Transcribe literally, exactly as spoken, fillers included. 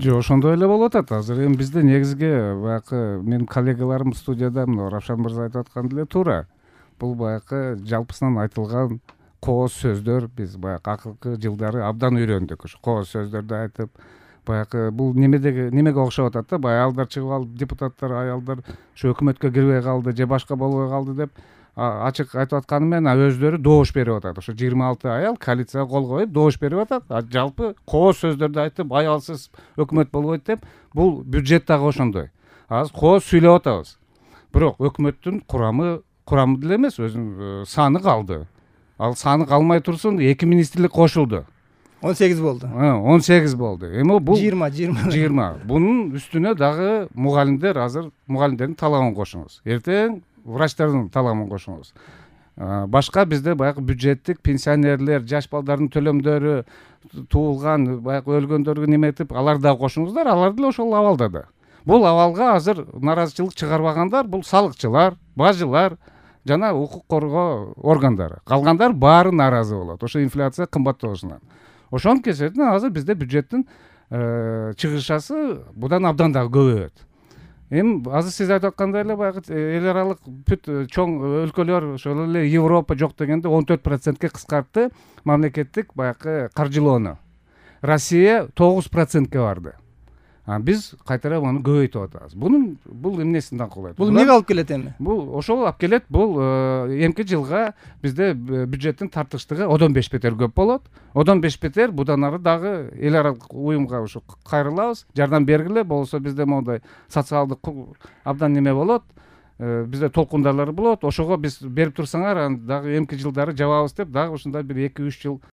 Жок, ошондой эле болуп атат. Азыр эми бизде негизги баягы менин коллегаларым студияда мына Равшан мырза айтып аткан деле туура. Бул баягы жалпысынан айтылган кооз сөздөр биз баягы акыркы жылдары абдан үйрөндүк. Ошо кооз сөздөрдү айтып, баягы бул немедеги немеге окшоп атат да, баягы аялдар чыгып алып, депутаттар, аялдар ошо өкмөткө кирбей калды же башка болбой калды деп ачык айтып атканы менен добуш добуш берип атат. Ошо жыйырма алты аял коалицияга кол коюп добуш берип атат. А жалпы кооз сөздөрдү айтып, аялсыз өкмөт болбойт деп, бул бюджет дагы ошондой. Азыр кооз сүйлөп атабыз. Бирок өкмөттүн курамы курамы деле эмес, өзүнүн саны калды. Ал саны калмай турсун, эки министрлик кошулду. он сегиз болду. он сегиз болду. Эми бул жыйырма жыйырма жыйырма. Бунун үстүнө дагы мугалимдер, азыр мугалимдердин талабын кошуңуз. Эртең врачтардын талабын кошуңуз. Башка бизде баягы бюджеттик пенсионерлер, жаш балдардын төлөмдөрү, туулган, баягы өлгөндөргө неметип, аларды дагы кошуңуздар, алар деле ошол абалда да. Бул абалга азыр наразычылык чыгарбагандар бул салыкчылар, бажылар жана укук коргоо органдары. Калгандар баары нааразы болот. Ошо инфляция кымбаттоосунан. Ошонун кесиптен азыр бизде бюджеттин чыгышасы будан абдан дагы көбөйөт. Эми азыр сиз айтып аткандай эле баягы эл аралык бүт чоң өлкөлөр, ошол эле Европа жок дегенде он төрт процентке кыскартты мамлекеттик баягы каржылоону. Россия тогуз процентке барды. А биз кайтара аны көбөйтүп атабыз. Бунун бул эмнесинден кылат? Бул эмнеге алып келет эми? Бул ошол алып келет. Бул эмки жылга бизде бюджеттин тартыштыгы одон беш бетер көп болот. Одон беш бетер будан ары дагы эл аралык уюмга ошо кайрылабыз, жардам бергиле, болсо бизде моундай социалдык абдан неме болот. Бизде толкундарлар болот. Ошого биз берип турсаңар, дагы эмки жылдары жабабыз деп, дагы ушундай бир эки үч жыл